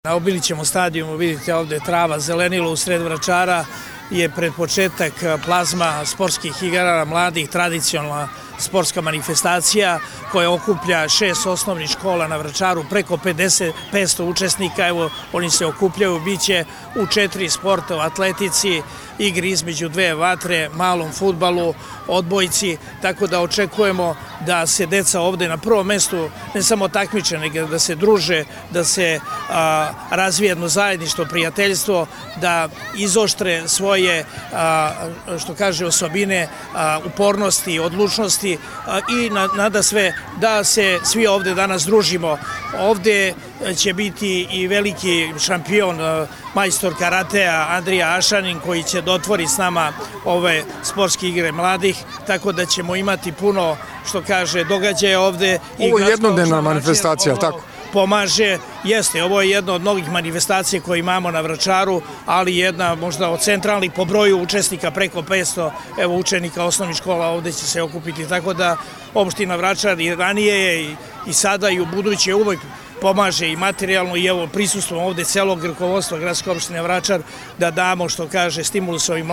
Na Obilićevom stadionu vidite ovde trava, zelenilo u sred Vračara je pred početak plazma sportskih igara mladih, tradicionalna sportska manifestacija koja okuplja 6 osnovnih škola na Vračaru, preko 500 učesnika, evo oni se okupljaju, bit će u 4 sporta, u atletici, igri između 2 vatre, malom fudbalu, odbojci, tako da očekujemo da se deca ovde na prvom mestu ne samo takmiče, nego da se druže, da se razvije jedno zajedništvo, prijateljstvo, da izoštre svoje, što kaže, osobine, upornosti, odlučnosti i nada sve da se svi ovde danas družimo. Ovde će biti i veliki šampion, majstor karatea Andrija Ašanin, koji će dotvori s nama ove sportske igre mladih, tako da ćemo imati puno, što kaže, događaja ovde. Ovo je jednodnevna manifestacija, ali tako? Pomaže, jeste, ovo je jedna od mnogih manifestacija koje imamo na Vračaru, ali jedna možda od centralnih po broju učesnika, preko 500 učenika osnovnih škola ovde će se okupiti, tako da opština Vračar i ranije je i sada i u buduće uvek pomaže i materijalno i evo prisustvom ovde celog rukovodstva gradske opštine Vračar da damo, što kaže, stimulus ovim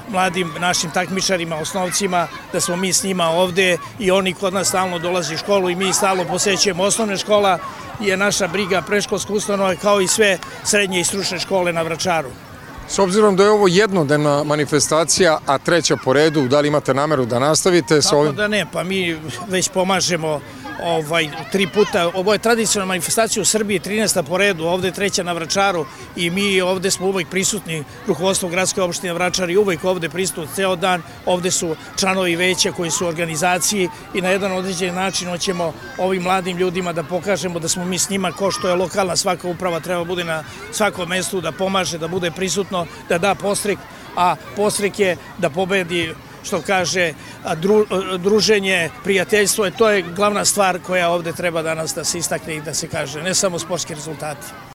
mladim našim takmičarima, osnovcima, da smo mi s njima ovde i oni kod nas stalno dolaze u školu i mi stalno posećujemo osnovne škola, je naša briga predškolska ustanova kao i sve srednje i stručne škole na Vračaru. S obzirom da je ovo jednodnevna manifestacija, a treća po redu, da li imate nameru da nastavite sa ovim? Tako da ne, pa mi već pomažemo 3 puta. Ovo je tradicionalna manifestacija u Srbiji, 13. po redu, ovde je treća na Vračaru i mi ovde smo uvek prisutni, rukovodstvo gradske opštine Vračar i uvek ovde prisutni ceo dan. Ovde su članovi veća koji su u organizaciji i na jedan određeni način hoćemo ovim mladim ljudima da pokažemo da smo mi s njima, ko što je lokalna svaka uprava treba bude na svakom mestu, da pomaže, da bude prisutno, da da podstrek, a podstrek je da pobedi, što kaže, druženje, prijateljstvo, to je glavna stvar koja ovde treba danas da se istakne i da se kaže, ne samo sportski rezultati.